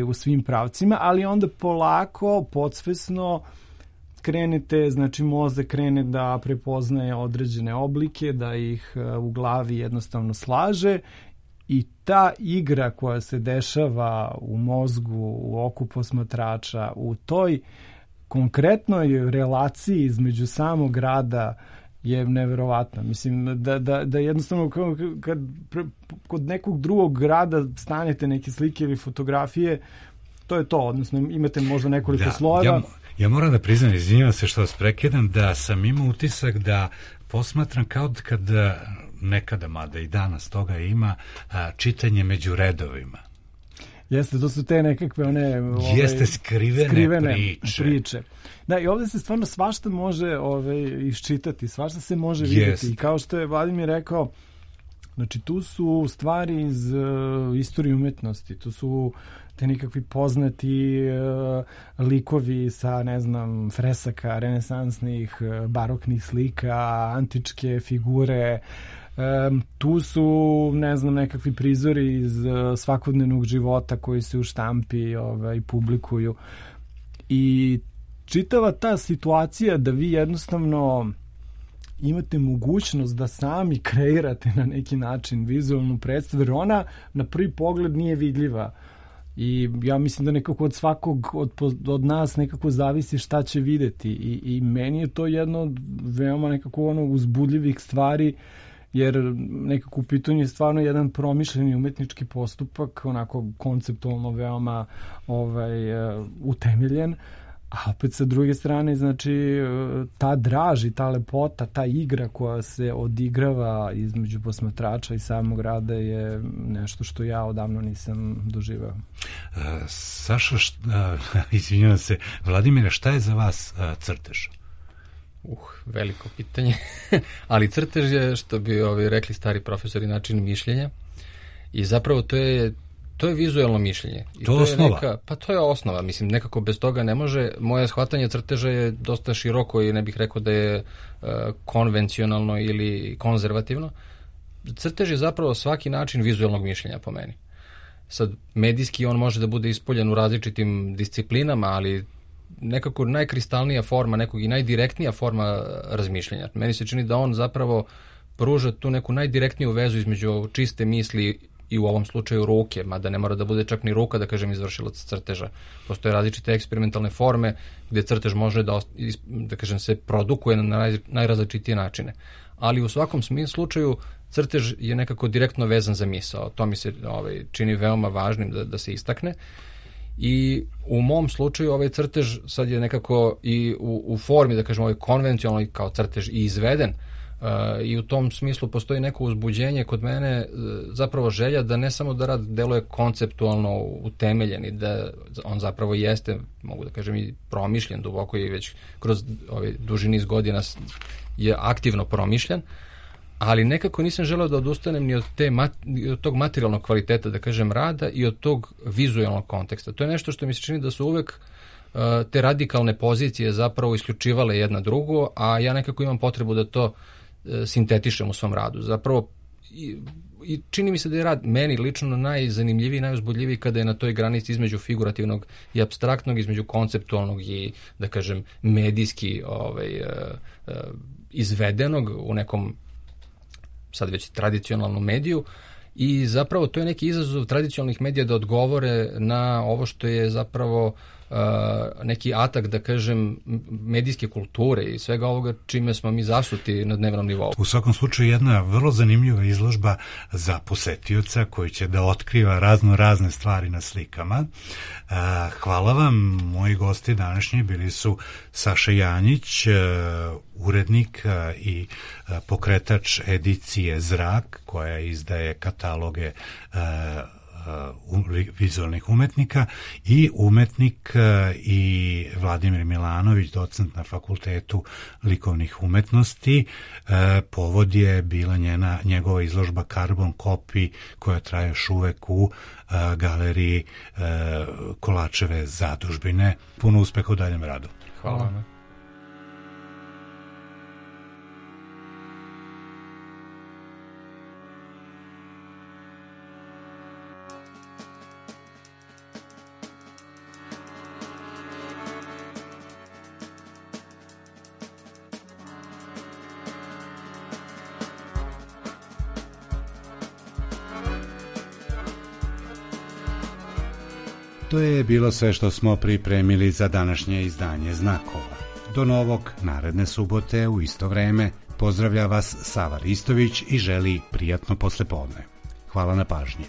u svim pravcima, ali onda polako, podsvesno krenete, znači mozak krene da prepoznaje određene oblike, da ih u glavi jednostavno slaže. I ta igra koja se dešava u mozgu, u oku posmatrača, u toj konkretnoj relaciji između samog rada je neverovatna. Mislim da jednostavno kad kod nekog drugog rada stanete neke slike ili fotografije, to je to. Odnosno imate možda nekoliko slojeva. Ja moram da priznam, izvinjavam se što vas prekidam, da sam imao utisak da posmatram kao kad nekada, mada i danas toga ima, čitanje među redovima. Jeste, to su te nekakve one... Jeste skrivene priče. Da, i ovdje se stvarno svašta može iščitati, svašta se može vidjeti. I kao što je Vladimir rekao, znači tu su stvari iz istorije umetnosti, tu su te nekakvi poznati likovi sa, ne znam, fresaka, renesansnih, baroknih slika, antičke figure. Tu su, ne znam, nekakvi prizori iz svakodnevnog života koji se u štampi publikuju. I čitava ta situacija da vi jednostavno imate mogućnost da sami kreirate na neki način vizualnu predstavu, jer ona na prvi pogled nije vidljiva. I ja mislim da nekako od svakog od nas nekako zavisi šta će videti. I meni je to jedno od veoma nekako uzbudljivih stvari, jer nekako u pitanju je stvarno jedan promišljeni umetnički postupak, onako konceptualno veoma utemeljen, a opet sa druge strane, znači, ta draž i ta lepota, ta igra koja se odigrava između posmatrača i samog rada je nešto što ja odavno nisam doživao. Saša, izvinjavam se, Vladimire, šta je za vas crtež? Veliko pitanje. Ali crtež je, što bi rekli stari profesori, način mišljenja. I zapravo to je vizualno mišljenje. I to je osnova? Pa to je osnova. Mislim, nekako bez toga ne može. Moje shvatanje crteža je dosta široko i ne bih rekao da je konvencionalno ili konzervativno. Crtež je zapravo svaki način vizualnog mišljenja po meni. Sad, medijski on može da bude ispoljen u različitim disciplinama, ali nekako najkristalnija forma, nekog i najdirektnija forma razmišljanja. Meni se čini da on zapravo pruža tu neku najdirektniju vezu između čiste misli i u ovom slučaju ruke, mada ne mora da bude čak ni ruka, da kažem, izvršilac crteža. Postoje različite eksperimentalne forme gdje crtež može da kažem, se produkuje na najrazličitije načine. Ali u svakom slučaju crtež je nekako direktno vezan za misao. To mi se čini veoma važnim da se istakne. I u mom slučaju ovaj crtež sad je nekako i u formi, da kažem, konvencionalno kao crtež i izveden, i u tom smislu postoji neko uzbuđenje kod mene, zapravo želja da ne samo da rad deluje konceptualno utemeljen i da on zapravo jeste, mogu da kažem, i promišljen duboko i već kroz duži niz godina je aktivno promišljen, ali nekako nisam želeo da odustanem ni od tog materijalnog kvaliteta, da kažem, rada i od tog vizualnog konteksta. To je nešto što mi se čini da su uvek te radikalne pozicije zapravo isključivale jedna drugu, a ja nekako imam potrebu da to sintetišem u svom radu. Zapravo, i čini mi se da je rad meni lično najzanimljiviji, najuzbudljiviji kada je na toj granici između figurativnog i apstraktnog, između konceptualnog i, da kažem, medijski izvedenog u nekom sad već tradicionalnom mediju, i zapravo to je neki izazov tradicionalnih medija da odgovore na ovo što je zapravo neki atak, da kažem, medijske kulture i svega ovoga čime smo mi zasuti na dnevnom nivou. U svakom slučaju jedna vrlo zanimljiva izložba za posetioca koji će da otkriva razne stvari na slikama. Hvala vam, moji gosti današnji bili su Saša Janjić, urednik i pokretač edicije Zrak, koja izdaje kataloge vizualnih umetnika, i umetnik i Vladimir Milanović, docent na Fakultetu likovnih umetnosti. Povod je bila njegova izložba Carbon Copy, koja traje još uvek u galeriji Kolačeve zadužbine. Puno uspeha u daljem radu. Hvala vam. To je bilo sve što smo pripremili za današnje izdanje Znakova. Do novog naredne subote u isto vreme pozdravlja vas Sava Ristović i želi prijatno poslepodne. Hvala na pažnji.